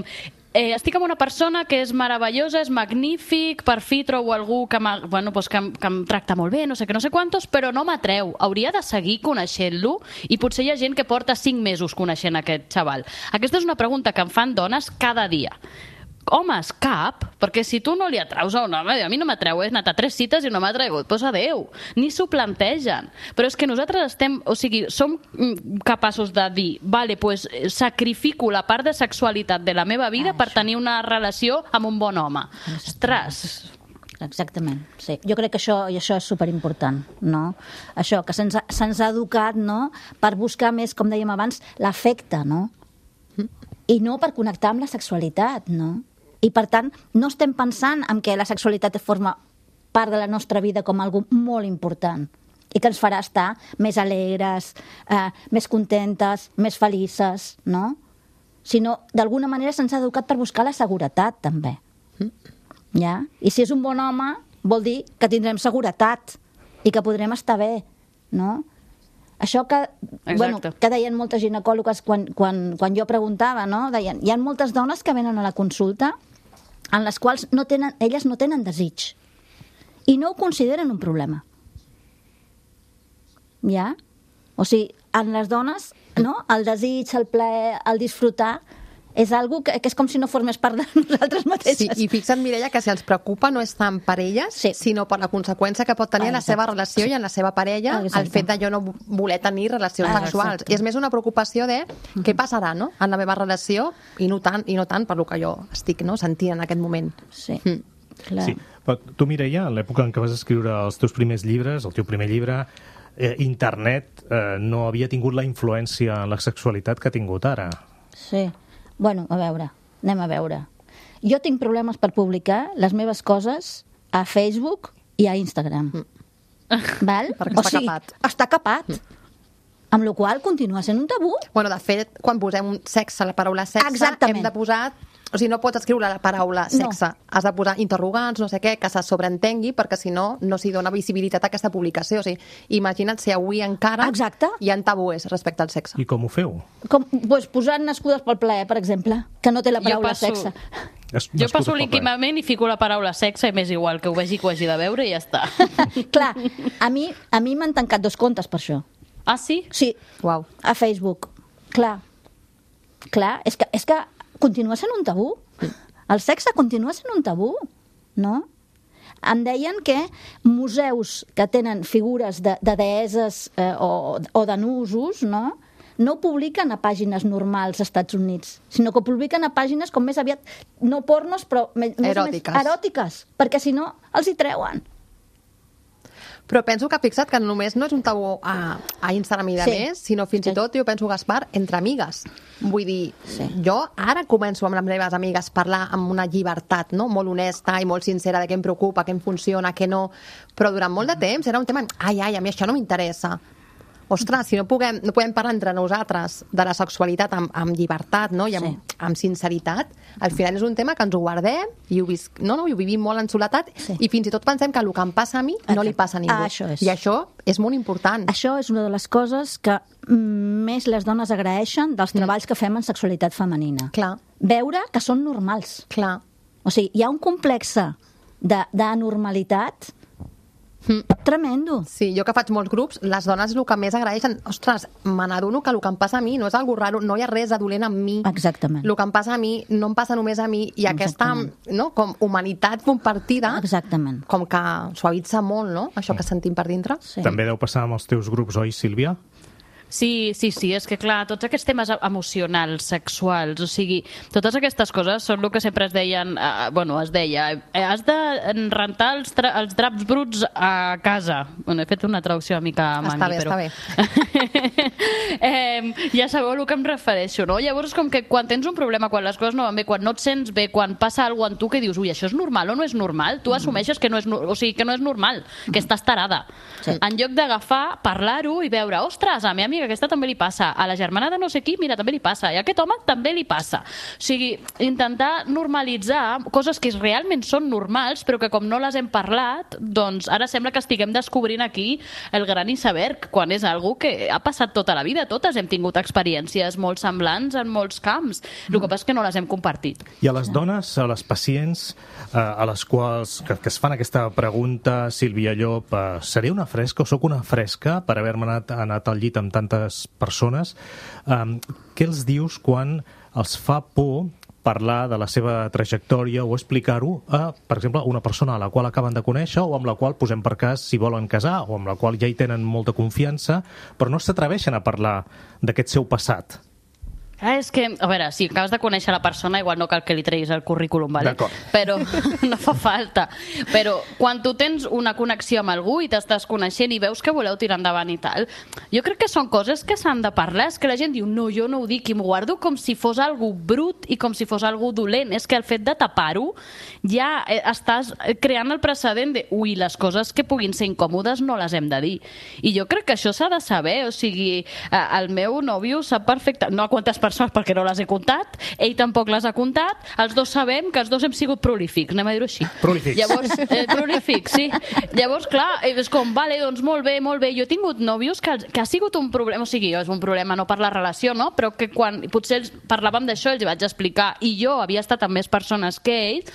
Eh, estic amb una persona que és meravellosa, és magnífic, per fi trobo algú que, bueno, pues que, em, que em tracta molt bé, no sé què, no sé quantos, però no m'atreu. Hauria de seguir coneixent-lo i potser hi ha gent que porta cinc mesos coneixent aquest xaval. Aquesta és una pregunta que em fan dones cada dia. Homes, cap, perquè si tu no li atraus a un home, a mi no m'atreu, he anat a tres cites i no m'ha atragut, doncs adeu, ni s'ho plantegen. Però és que nosaltres estem, o sigui, som capaços de dir, vale, pues sacrifico la part de sexualitat de la meva vida Ah, per això. tenir una relació amb un bon home. Ostres, Exactament, sí. Jo crec que això, i això és superimportant, no? Això, que se'ns ha, se'ns ha educat, no?, per buscar més, com dèiem abans, l'afecte, no? I no per connectar amb la sexualitat, no? I, per tant, no estem pensant en que la sexualitat forma part de la nostra vida com algo molt important i que ens farà estar més alegres, eh, més contentes, més felices, no? Sinó, d'alguna manera, se'ns ha educat per buscar la seguretat, també. Ja? I si és un bon home, vol dir que tindrem seguretat i que podrem estar bé, no? Això que, bueno, que deien moltes ginecòlogues quan, quan, quan jo preguntava, no? Deien, hi ha moltes dones que venen a la consulta en les quals no tenen, elles no tenen desig i no ho consideren un problema. Ja? O sigui, en les dones, no? El desig, el plaer, el disfrutar és algo que, que és com si no formés part de nosaltres mateixes. Sí, i fixa't, Mireia, que si ens preocupa no és tant per elles, sí. sinó per la conseqüència que pot tenir en la seva relació i en la seva parella, Exacte. el fet de jo no voler tenir relacions Exacte. sexuals. I és més una preocupació de què passarà, no?, en la meva relació, i no tant, i no tant per lo que jo estic, no?, sentint en aquest moment. Sí, Mm. clar. Sí. Però tu, Mireia, en l'època en què vas escriure els teus primers llibres, el teu primer llibre, eh, internet eh, no havia tingut la influència en la sexualitat que ha tingut ara. Sí. Bueno, a veure, anem a veure. Jo tinc problemes per publicar les meves coses a Facebook i a Instagram. Mm. Val? Perquè està capat. Està capat. Mm. Amb la qual cosa continua sent un tabú. Bueno, de fet, quan posem un sexe, la paraula sexe, Exactament. hem de posar... O sigui, no pots escriure la paraula sexe. No. Has de posar interrogants, no sé què, que se sobreentengui, perquè si no, no s'hi dona visibilitat a aquesta publicació. O sigui, imagina't si avui encara Exacte. hi ha tabús respecte al sexe. I com ho feu? Com, pues, posant nascudes pel plaer, per exemple, que no té la Jo paraula passo- sexe. Es, Jo nascut passo a poble. líquidament i fico la paraula sexe i m'és igual que ho vegi que ho hagi de veure i ja està. Clar, a mi a mi m'han tancat dos comptes per això. Ah, sí? Sí, Uau. a Facebook. Clar, clar, és que, és que continua sent un tabú. El sexe continua sent un tabú, no? Em deien que museus que tenen figures de, de deeses eh, o, o de nusos, no?, no ho publiquen a pàgines normals als Estats Units, sinó que ho publiquen a pàgines com més aviat, no pornos, però més, Eròtiques. més eròtiques, perquè si no els hi treuen. Però penso que fixa't que només no és un tabú a, a Instagram i de Sí. més, sinó fins Sí. i tot, jo penso, Gaspar, entre amigues. Vull dir, Sí. jo ara començo amb les meves amigues a parlar amb una llibertat, no?, molt honesta i molt sincera de què em preocupa, què em funciona, què no, però durant molt de temps era un tema, ai, ai, a mi això no m'interessa. Ostres, si no, puguem, no podem parlar entre nosaltres de la sexualitat amb, amb llibertat, no?, i amb, Sí. amb sinceritat, al final és un tema que ens ho guardem i ho, visc, no, no, i ho vivim molt en soledat, Sí. i fins i tot pensem que el que em passa a mi no li passa a ningú. Ah, això és. I això és molt important. Això és una de les coses que mm, més les dones agraeixen dels treballs que fem en sexualitat femenina. Clar, Veure que són normals. clar. O sigui, hi ha un complex de- d'anormalitat Mm. tremendo. Sí, jo que faig molts grups, les dones el que més agraeixen, ostres, me n'adono que el que em passa a mi no és algo raro, no hi ha res de dolent amb mi. Exactament. El que em passa a mi no em passa només a mi, i aquesta, Exactament. no, com humanitat compartida, Exactament. com que suavitza molt, no?, això que sentim per dintre. Sí. També deu passar amb els teus grups, oi, Sílvia? Sí, sí, sí, és que clar, tots aquests temes emocionals, sexuals, o sigui, totes aquestes coses són el que sempre es deien, eh, bueno, es deia, eh, has de rentar els, tra els draps bruts a casa. Bueno, he fet una traducció una mica mangui, Està bé, però... està bé. eh, ja sabeu a què em refereixo, no? Llavors, com que quan tens un problema, quan les coses no van bé, quan no et sents bé, quan passa alguna cosa en tu que dius, ui, això és normal o no és normal, tu assumeixes que no és, no- o sigui, que no és normal, que estàs tarada. Sí. En lloc d'agafar, parlar-ho i veure, ostres, a la meva amiga aquesta també li passa, a la germana de no sé qui, mira, també li passa, i a aquest home també li passa. O sigui, intentar normalitzar coses que realment són normals, però que com no les hem parlat, doncs ara sembla que estiguem descobrint aquí el gran iceberg, quan és algo que ha passat tota la vida. Totes hem tingut experiències molt semblants en molts camps. El que passa és que no les hem compartit. I a les dones, a les pacients, eh, a les quals que, que es fan aquesta pregunta, Sílvia Llop, eh, seré una fresca o sóc una fresca per haver-me anat, anat al llit amb tantes persones? Eh, què els dius quan els fa por parlar de la seva trajectòria o explicar-ho a, per exemple, una persona a la qual acaben de conèixer o amb la qual posem per cas si volen casar o amb la qual ja hi tenen molta confiança, però no s'atreveixen a parlar d'aquest seu passat? Ah, és que, a veure, si acabes de conèixer la persona, igual no cal que li treguis el currículum, vale? D'acord. Però no fa falta. Però quan tu tens una connexió amb algú i t'estàs coneixent i veus que voleu tirar endavant i tal, jo crec que són coses que s'han de parlar. És que la gent diu, no, jo no ho dic, i m'ho guardo com si fos algú brut i com si fos algú dolent. És que el fet de tapar-ho ja eh, estàs creant el precedent de, ui, les coses que puguin ser incòmodes no les hem de dir. I jo crec que això s'ha de saber. O sigui, eh, el meu nòvio sap perfecte, no a quantes persones perquè no les he comptat, ell tampoc les ha comptat, els dos sabem que els dos hem sigut prolífics, anem a dir-ho així. Prolífics. Llavors, eh, prolífics, sí. Llavors, clar, és com, vale, doncs molt bé, molt bé. Jo he tingut nòvios que, que ha sigut un problema, o sigui, és un problema no per la relació, no? Però que quan potser ells parlàvem d'això, els hi vaig explicar, i jo havia estat amb més persones que ells,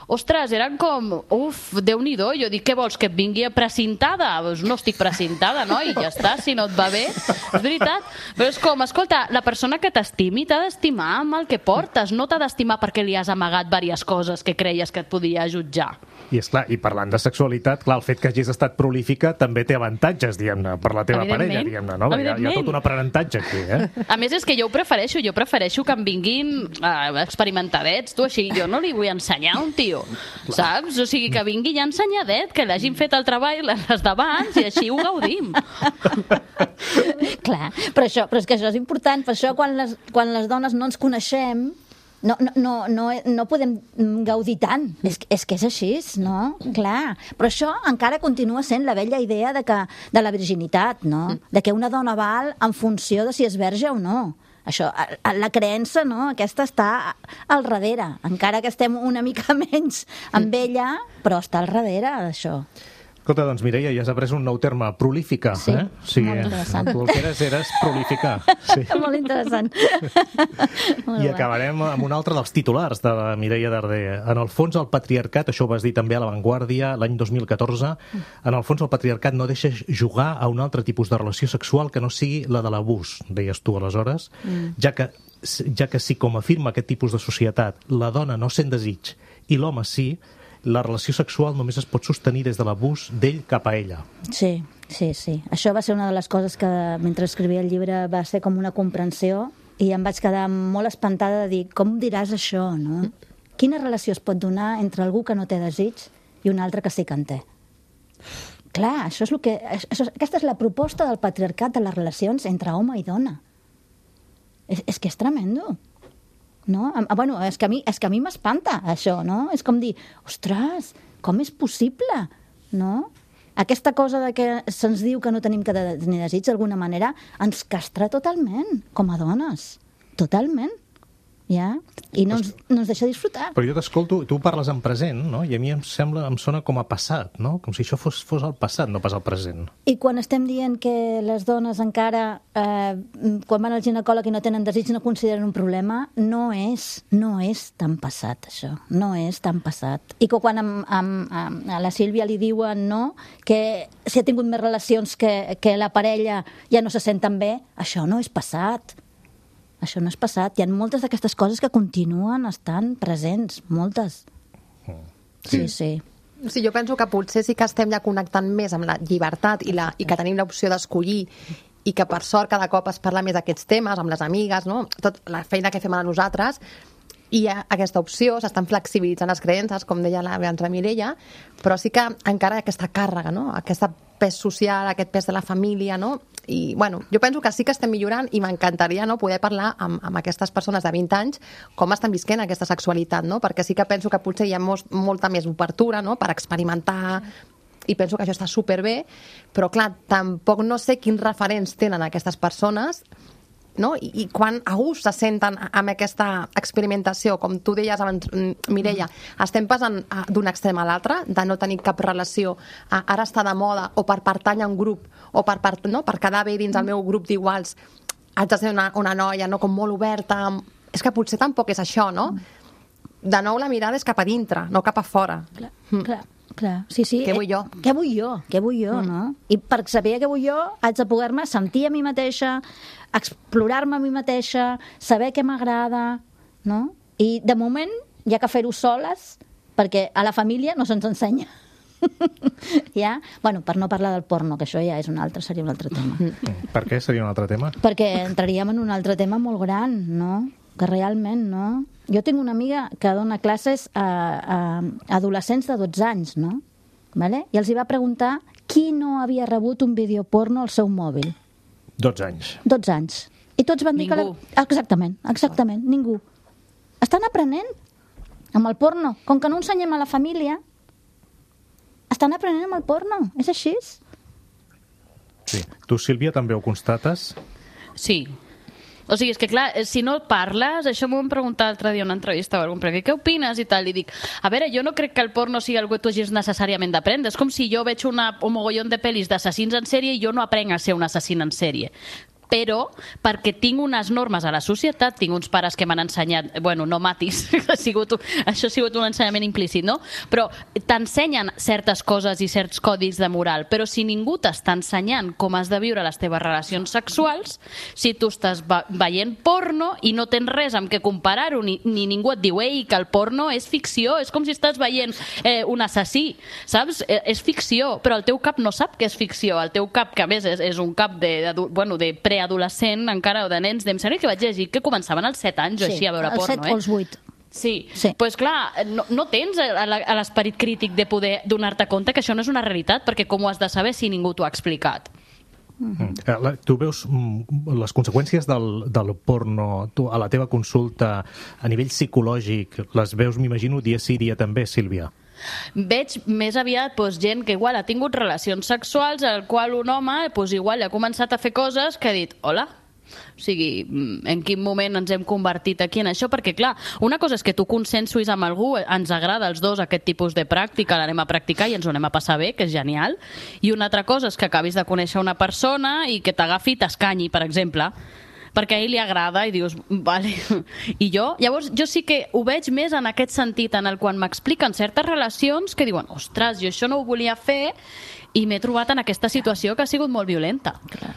ostres, eren com, uf, Déu-n'hi-do, jo dic, què vols, que et vingui precintada? Doncs no estic precintada, no? I ja està, si no et va bé, és veritat. Però és com, escolta, la persona que t'estimi t'ha d'estimar amb el que portes, no t'ha d'estimar perquè li has amagat diverses coses que creies que et podia jutjar. I és clar, i parlant de sexualitat, clar, el fet que hagis estat prolífica també té avantatges, diguem-ne, per la teva parella, diguem-ne, no? Hi ha, hi ha tot un aprenentatge aquí, eh? A més, és que jo ho prefereixo, jo prefereixo que em vinguin uh, experimentadets, tu, així, jo no li vull ensenyar a un tio, saps? O sigui, que vingui ja ensenyadet, que l'hagin fet el treball les d'abans i així ho gaudim. Clar, però, això, però és que això és important, per això quan les, quan les dones no ens coneixem, No, no, no, no, no podem gaudir tant. És, és que és així, no? Clar. Però això encara continua sent la vella idea de, que, de la virginitat, no? De que una dona val en funció de si és verge o no. Això, la creença, no? Aquesta està al darrere. Encara que estem una mica menys amb ella, però està al darrere d'això. Escolta, doncs Mireia, ja has après un nou terme, prolífica. Sí, eh? O sigui, molt interessant. Tu el que eres, eres prolífica. Sí. Molt interessant. Molt I bé. acabarem amb un altre dels titulars de la Mireia Darder. En el fons, el patriarcat, això ho vas dir també a La Vanguardia l'any dos mil catorze, en el fons el patriarcat no deixa jugar a un altre tipus de relació sexual que no sigui la de l'abús, deies tu aleshores, mm. ja, que, ja que si, com afirma aquest tipus de societat, la dona no sent desig i l'home sí, la relació sexual només es pot sostenir des de l'abús d'ell cap a ella. Sí, sí, sí. Això va ser una de les coses que, mentre escrivia el llibre, va ser com una comprensió i em vaig quedar molt espantada de dir, com diràs això, no? Quina relació es pot donar entre algú que no té desig i un altre que sí que en té? Clar, això és el que, això, aquesta és la proposta del patriarcat de les relacions entre home i dona. És, és que és tremendo. No? Bueno, és que a mi, és que a mi m'espanta això, no? És com dir, ostres, com és possible? No? Aquesta cosa de que se'ns diu que no tenim que tenir desig d'alguna manera ens castra totalment, com a dones. Totalment. Ja? I no ens, no ens deixa disfrutar. Però jo t'escolto, tu parles en present, no? I a mi em sembla, em sona com a passat, no? Com si això fos, fos el passat, no pas el present. I quan estem dient que les dones encara, eh, quan van al ginecòleg i no tenen desig, no consideren un problema, no és, no és tan passat, això. No és tan passat. I que quan amb, amb, amb, a la Sílvia li diuen, no?, que si ha tingut més relacions que, que la parella ja no se senten bé, això no és passat. Això no és passat. Hi ha moltes d'aquestes coses que continuen estant presents, moltes. Sí, sí. Sí, jo penso que potser sí que estem ja connectant més amb la llibertat i, la, i que tenim l'opció d'escollir i que per sort cada cop es parla més d'aquests temes, amb les amigues, no? Tot la feina que fem a nosaltres, i hi ha aquesta opció, s'estan flexibilitzant les creences, com deia abans la Mireia, però sí que encara hi ha aquesta càrrega, no? Aquesta pes social, aquest pes de la família, no? I, bueno, jo penso que sí que estem millorant i m'encantaria, no, poder parlar amb, amb aquestes persones de vint anys com estan visquent aquesta sexualitat, no? Perquè sí que penso que potser hi ha molt, molta més obertura, no?, per experimentar, i penso que això està superbé, però clar, tampoc no sé quins referents tenen aquestes persones, no? I, i quan a gust se senten amb aquesta experimentació, com tu deies abans, Mireia, estem passant d'un extrem a l'altre, de no tenir cap relació, a ara està de moda, o per pertany a un grup, o per, per, no? per quedar bé dins el meu grup d'iguals, haig de ser una, una noia, no?, com molt oberta. És que potser tampoc és això, no? De nou la mirada és cap a dintre, no cap a fora. Clar, mm. clar. Clar, sí, sí. Què vull jo? Eh, què vull jo? Què vull jo, mm. no? I per saber què vull jo, haig de poder-me sentir a mi mateixa, explorar-me a mi mateixa, saber què m'agrada, no? I de moment hi ha que fer-ho soles, perquè a la família no se'ns ensenya. Ja? Bueno, per no parlar del porno, que això ja és un altre, seria un altre tema. Per què seria un altre tema? Perquè entraríem en un altre tema molt gran, no? Que realment, no? Jo tinc una amiga que dona classes a, a adolescents de dotze anys, no? Vale? I els hi va preguntar qui no havia rebut un vídeo porno al seu mòbil. dotze anys. dotze anys. I tots van dir ningú. que... La... Exactament, exactament, ningú. Estan aprenent amb el porno. Com que no ensenyem a la família, estan aprenent amb el porno. És així. Sí. Tu, Sílvia, també ho constates? Sí. O sigui, és que clar, si no parles, això m'ho vam preguntar l'altre dia en una entrevista o algun perquè què opines i tal, i dic, a veure, jo no crec que el porno sigui algo que tu hagis necessàriament d'aprendre, és com si jo veig una, un mogollon de pel·lis d'assassins en sèrie i jo no aprenc a ser un assassín en sèrie. però perquè tinc unes normes a la societat, tinc uns pares que m'han ensenyat, bueno, no matis, ha sigut, això ha sigut un ensenyament implícit, no? Però t'ensenyen certes coses i certs codis de moral, però si ningú t'està ensenyant com has de viure les teves relacions sexuals, si tu estàs veient porno i no tens res amb què comparar-ho, ni, ni ningú et diu, ei, que el porno és ficció, és com si estàs veient eh, un assassí, saps? Eh, és ficció, però el teu cap no sap que és ficció, el teu cap, que a més és, és un cap de, de, bueno, de pre adolescent encara, o de nens, em sembla que vaig llegir que començaven als set anys o sí, així a veure als porno, set eh? o als vuit. Sí, sí. Pues clar, no, no tens l'esperit crític de poder donar-te compte que això no és una realitat, perquè com ho has de saber si ningú t'ho ha explicat? Mm-hmm. Tu veus les conseqüències del, del porno tu, a la teva consulta a nivell psicològic, les veus, m'imagino, dia sí, dia també, Sílvia? Veig més aviat doncs, gent que igual ha tingut relacions sexuals al qual un home doncs, igual ha començat a fer coses que ha dit, hola, o sigui, en quin moment ens hem convertit aquí en això, perquè clar, una cosa és que tu consensuïs amb algú, ens agrada als dos aquest tipus de pràctica, l'anem a practicar i ens ho anem a passar bé, que és genial, i una altra cosa és que acabis de conèixer una persona i que t'agafi i t'escanyi, per exemple, perquè a ell li agrada i dius, vale. I jo, llavors, jo sí que ho veig més en aquest sentit, en el quan m'expliquen certes relacions que diuen, ostres, jo això no ho volia fer i m'he trobat en aquesta situació que ha sigut molt violenta. Clar.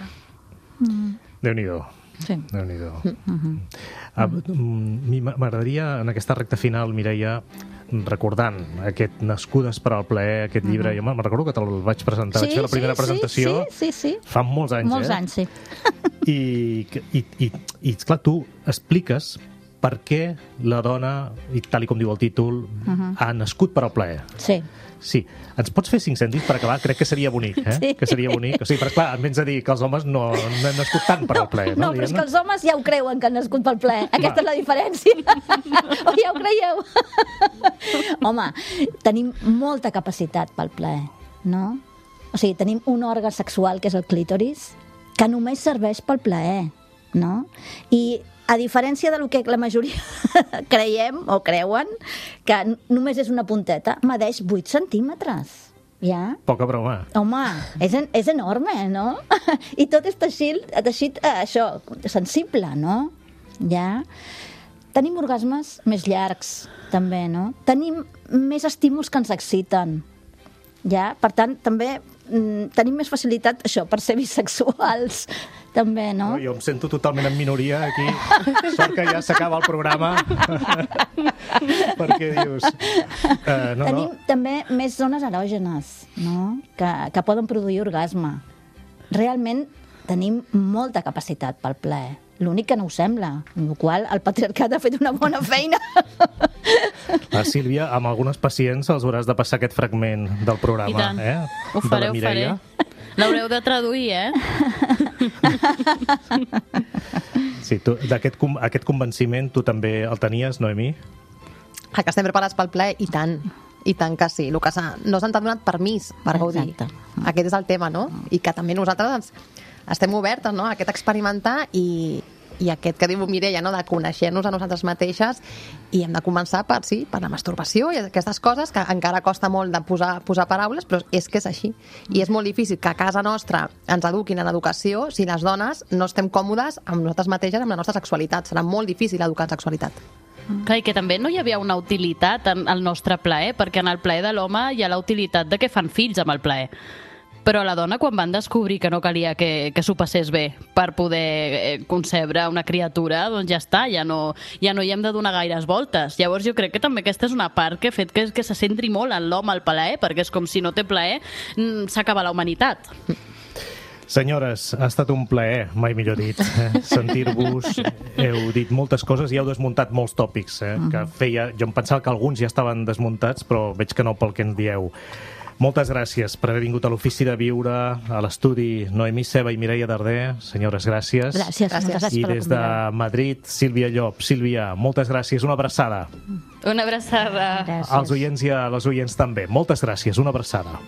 Mm. Déu-n'hi-do. Sí. Déu-n'hi-do. Mm-hmm. A mi m'agradaria, en aquesta recta final, Mireia, recordant aquest Nascudes per al plaer, aquest llibre, mm-hmm. jo me'n recordo que te'l vaig presentar, sí, vaig fer la primera sí, presentació sí, sí, sí. fa molts anys, molts eh? anys, sí. I, i, i, i, clar, tu expliques per què la dona, i tal i com diu el títol, uh-huh. ha nascut per al plaer. Sí. Sí. Ens pots fer cinc cèntims per acabar? Crec que seria bonic, eh? Sí. Que seria bonic. O sigui, però clar, em vens a dir que els homes no, no han nascut tant per al plaer, no? No, però és que els homes ja ho creuen que han nascut pel plaer. Aquesta Va. és la diferència. O ja ho creieu? Home, tenim molta capacitat pel plaer, no? O sigui, tenim un òrgan sexual, que és el clítoris, que només serveix pel plaer, no? I a diferència del que la majoria creiem o creuen, que només és una punteta, medeix vuit centímetres. Ja? Poca broma. Home, és, en, és enorme, no? I tot és teixit, teixit eh, això, sensible, no? Ja? Tenim orgasmes més llargs, també, no? Tenim més estímuls que ens exciten. Ja? Per tant, també mm, tenim més facilitat, això, per ser bisexuals, també, no? no? Jo em sento totalment en minoria aquí. Sort que ja s'acaba el programa. Perquè dius... Uh, no, Tenim no. també més zones erògenes, no? Que, que poden produir orgasme. Realment tenim molta capacitat pel plaer. L'únic que no ho sembla, amb la qual el patriarcat ha fet una bona feina. La Sílvia, amb algunes pacients els hauràs de passar aquest fragment del programa. I tant. Eh? Ho faré, ho faré. L'haureu de traduir, eh? Sí, tu, d'aquest aquest convenciment tu també el tenies, Noemí? Que estem preparats pel plaer, i tant. I tant que sí. El que no se'ns ha donat permís per gaudir. Exacte. Aquest és el tema, no? I que també nosaltres ens, estem obertes, no?, a aquest experimentar i, i aquest que diu Mireia, no?, de conèixer-nos a nosaltres mateixes, i hem de començar per, sí, per la masturbació i aquestes coses que encara costa molt de posar, posar paraules, però és que és així. I és molt difícil que a casa nostra ens eduquin en educació si les dones no estem còmodes amb nosaltres mateixes, amb la nostra sexualitat. Serà molt difícil educar en sexualitat. Clar, i que també no hi havia una utilitat en el nostre plaer, perquè en el plaer de l'home hi ha la utilitat de que fan fills amb el plaer. Però la dona, quan van descobrir que no calia que, que s'ho passés bé per poder eh, concebre una criatura, doncs ja està, ja no, ja no hi hem de donar gaires voltes. Llavors jo crec que també aquesta és una part que ha fet que, que se centri molt en l'home al plaer, perquè és com si no té plaer, s'acaba la humanitat. Senyores, ha estat un plaer, mai millor dit, eh? sentir-vos. Heu dit moltes coses i heu desmuntat molts tòpics, eh? que feia... Jo em pensava que alguns ja estaven desmuntats, però veig que no pel que en dieu. Moltes gràcies per haver vingut a l'Ofici de Viure, a l'estudi Noemí Ceba i Mireia Darder. Senyores, gràcies. Gràcies, gràcies. gràcies I des de Madrid, Sílvia Llop. Sílvia, moltes gràcies, una abraçada. Una abraçada. Gràcies. Als oients i a les oients també. Moltes gràcies, una abraçada.